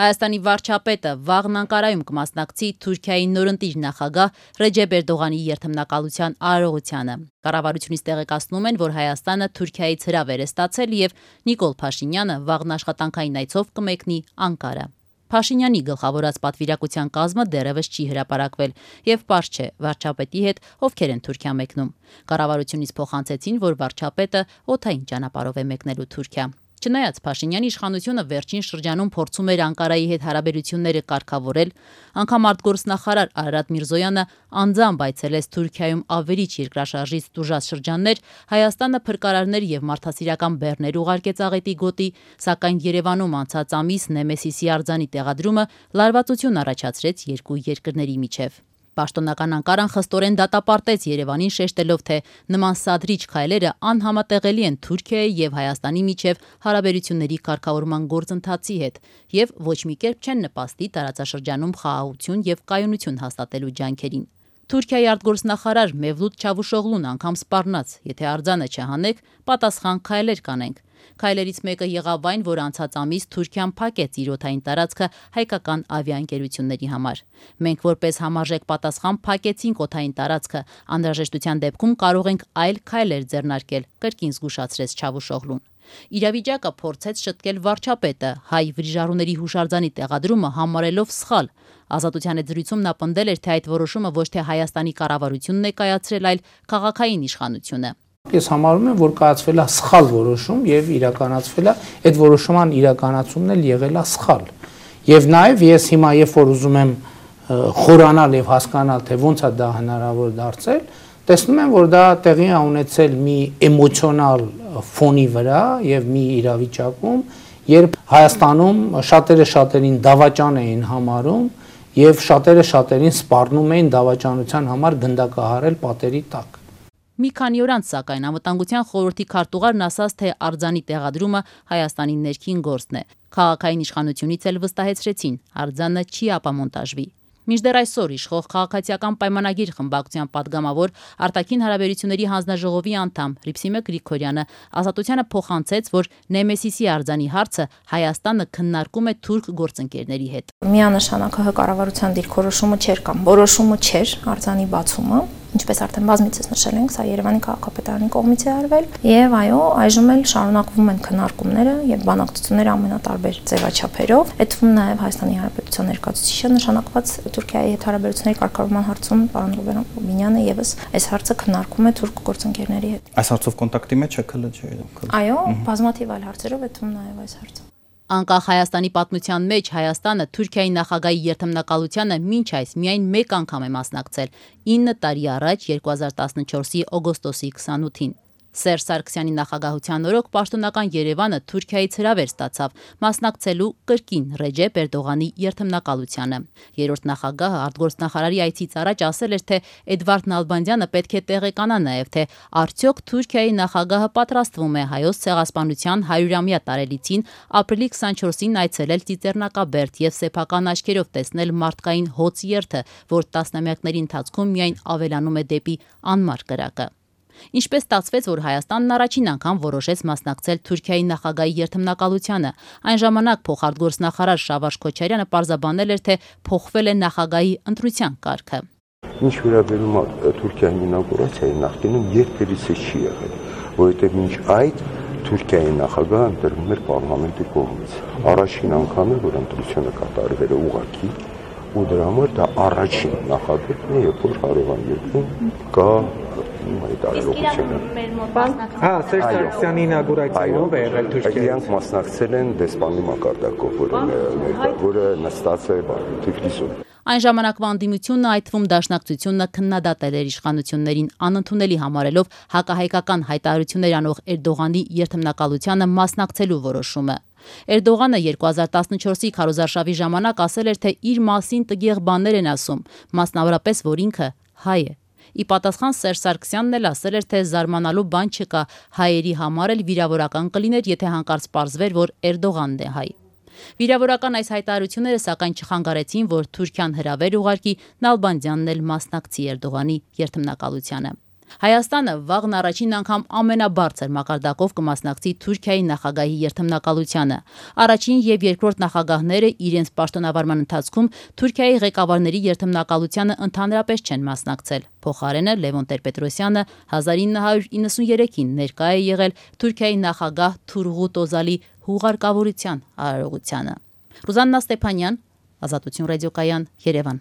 Հայաստանի վարչապետը վաղն Անկարայում կմասնակցի Թուրքիայի նորընտիր նախագահ Ռեջեփ Էրդողանի երթմնակալության արարողությանը։ Կառավարությունից տեղեկացնում են, որ Հայաստանը Թուրքիայից հրավեր է ստացել եւ Նիկոլ Փաշինյանը վաղն աշխատանքային այցով կմեկնի Անկարա։ Փաշինյանի գլխավորած պատվիրակության կազմը դեռևս չի հրապարակվել եւ պարզ չէ վարչապետի հետ ովքեր են Թուրքիա մեկնում։ Կառավարությունից փոխանցեցին, որ վարչապետը օդային ճանապարհով է մեկնելու Թուրքիա։ Չնայած Փաշինյանի իշխանությունը վերջին շրջանում փորձում էր Անկարայի հետ հարաբերությունները կարգավորել, անգամ արտգործնախարար Արարատ Միրզոյանը անձամբ այցելեց Թուրքիայում ավերիչ երկրաշարժից տուժած շրջաններ, Հայաստանը փրկարարներ եւ մարդասիրական բեռներ ուղարկեց աղետի գոտի, սակայն Երևանում անցած ամիս Նեմեսիսի արձանի տեղադրումը լարվածություն առաջացրեց երկու երկրների միջև։ Պաշտոնական Անկարան խստորեն դատապարտեց Երևանին, շեշտելով, թե նման սադրիչ քայլերը անհամատեղելի են Թուրքիայի եւ Հայաստանի միջև հարաբերությունների կարգավորման գործընթացի հետ եւ ոչ մի կերպ չեն նպաստի տարածաշրջանում խաղաղություն եւ կայունություն հաստատելու ջանքերին։ Թուրքիայի արտգործնախարար Մևլութ Չավուշօղլուն անգամ սպառնաց, եթե արձանը չհանեք, պատասխան քայլեր կանենք։ Քայլերից մեկը եղավ այն, որ անցած ամիս Թուրքիան փակեց իր օդային տարածքը հայկական ավիաընկերությունների համար։ Մենք որպես համարժեք պատասխան փակեցինք օդային տարածքը, անհրաժեշտության դեպքում կարող ենք այլ քայլեր ձեռնարկել, կրկին զգուշացրեց Չավուշօղլուն։ Իրավիճակը փորձեց շտկել վարչապետը, հայ վրիժառուների հուշարձանի տեղադրումը համարելով սխալ։ Ազատության հետ զրույցում նա պնդել էր, թե այդ որոշումը ոչ թե Հայաստանի կառավարությունն է կայացրել, այլ քաղաքային իշխանությունը։ Ես համարում եմ, որ կայացվել է սխալ որոշում եւ իրականացվել է այդ որոշման իրականացումն էլ եղել է սխալ։ Եվ նաեւ ես հիմա երբ որ ուզում եմ խորանալ եւ հասկանալ, թե ոնց է դա հնարավոր դարձել, տեսնում եմ, որ դա տեղի է ունեցել մի էմոցիոնալ ֆոնի վրա եւ մի իրավիճակում, երբ Հայաստանում շատերը շատերին դավաճան էին համարում եւ շատերը շատերին սպառնում էին դավաճանության համար գնդակահարել պատերի տակ։ Մի քանի օր անց, սակայն, Անվտանգության խորհրդի քարտուղարն ասաց, թե արձանի տեղադրումը Հայաստանի ներքին գործն է։ Քաղաքային իշխանությունից էլ վստահեցրեցին, արձանը չի ապամոնտաժվի։ Մինչդեռ այսօր իշխող քաղաքացիական պայմանագիր խմբակցության падգամավոր արտաքին հարաբերությունների հանձնաժողովի անդամ Հռիփսիմե Գրիգորյանը Ազատությանը փոխանցեց, որ Նեմեսիսի արձանի հարցը Հայաստանը քննարկում է թուրք գործընկերների հետ։ Միանշանակ ՀՀ կառավարության դիրքորոշումը չէր կամ որոշումը չէր արձանի բացումը, ինչպես արդեն բազմիցս նշել ենք, սա Երևանի քաղաքապետարանի կողմից է արվել, եւ այո, այժմ էլ շարունակվում են քննարկումները եւ բանակցությունները ամենատարբեր ձևաչափերով, այդ թվում նաեւ Հայաստանի Հանրապետության ներկայացուցիչը նշանակված Թուրքիայի հետ հարաբերությունների կարգավորման հարցում պարոն Ռուբեն Օբինյանը եւս այս հարցը քննարկում է թուրք գործընկերների հետ։ Այս հարցով կոնտակտի մեջ է ՔԼՋ-ը։ Այո, բազմաթիվ այլ հարցերով, այդ թվում նաեւ այս հարցը։ Անկախ Հայաստանի պատմության մեջ Հայաստանը Թուրքիայի նախագահի երթմնակալությանը մինչ այս միայն մեկ անգամ է մասնակցել 9 տարի առաջ 2014-ի օգոստոսի 28-ին։ Սերժ Սարգսյանի նախագահության օրոք պաշտոնական Երևանը Թուրքիայից հրավեր ստացավ մասնակցելու կրկին Ռեջեփ Էրդողանի երթմնակալությանը։ Երրորդ նախագահը արտգործնախարարի այցից առաջ ասել էր, թե Էդվարդ Նալբանդյանը պետք է տեղեկանա նաև, թե արդյոք Թուրքիայի նախագահը պատրաստվում է Հայոց ցեղասպանության 100-ամյա տարելիցին ապրիլի 24-ին այցելել Ծիծեռնակաբերդ եւ սեփական աչքերով տեսնել մարդկային հոծ երթը, որ տասնամյակների ընթացքում միայն ավելանում է դեպի անմար կրակը։ Ինչպես ստացվեց, որ Հայաստանն առաջին անգամ որոշեց մասնակցել Թուրքիայի նախագահի երթմնակալությանը։ Այն ժամանակ փոխարտգործնախարար Շավարժ Քոչարյանը պարզաբանել էր, թե փոխվել է նախագահի ընտրության կարգը։ Ինչ վերաբերում է Թուրքիայի ինauգուրացիային, նախկինում երբևիցե չի եղել, որովհետև մինչ այդ Թուրքիայի նախագահը ընտրվում էր պարլամենտի կողմից։ Առաջին անգամ է, որ ընտրությունը կատարվել է ուղղակի, ու դրա համար դա առաջին նախագծն է, երբ որ հարևան երկրում կա այդ արարողությունը։ Սերժ Սարգսյանի ինauգուրացիայով է եղել Թուրքիայից։ Իրանք մասնակցել են դեսպանի մակարդակով, որը նստած է Թիֆլիսում։ Այն ժամանակվա անդիմությունը, այդ թվում դաշնակցությունը քննադատել էր իշխանություններին, անընդունելի համարելով հակահայկական հայտարարություններ անող Էրդողանի երթմնակալությանը մասնակցելու որոշումը։ Էրդողանը 2014-ի քարոզարշավի ժամանակ ասել էր, թե իր մասին տգեղ բաներ են ասում, մասնավորապես, որ ինքը հայ է։ Ի պատասխան Սերժ Սարգսյանն էլ ասել էր, թե զարմանալու բան չկա, հայերի համար էլ վիրավորական կլիներ, եթե հանկարծ պարզվեր, որ Էրդողանն է հայ։ Վիրավորական այս հայտարարությունները սակայն չխանգարեցին, որ Թուրքիան հրավեր ուղարկի Նալբանդյանն էլ մասնակցի Էրդողանի երթմնակալությանը։ Հայաստանը վաղն առաջին անգամ ամենաբարձր մակարդակով կմասնակցի Թուրքիայի նախագահի երթմնակալությանը։ Առաջին եւ երկրորդ նախագահները իրենց պաշտոնավարման ընթացքում Թուրքիայի ղեկավարների երթմնակալությանը ընդհանրապես չեն մասնակցել։ Փոխարենը Լևոն Տեր-Պետրոսյանը 1993-ին ներկա է եղել Թուրքիայի նախագահ Թուրղուտ Օզալի հուղարկավորության արարողությանը։ Ռուզաննա Ստեփանյան, Ազատություն ռադիոկայան, Երևան։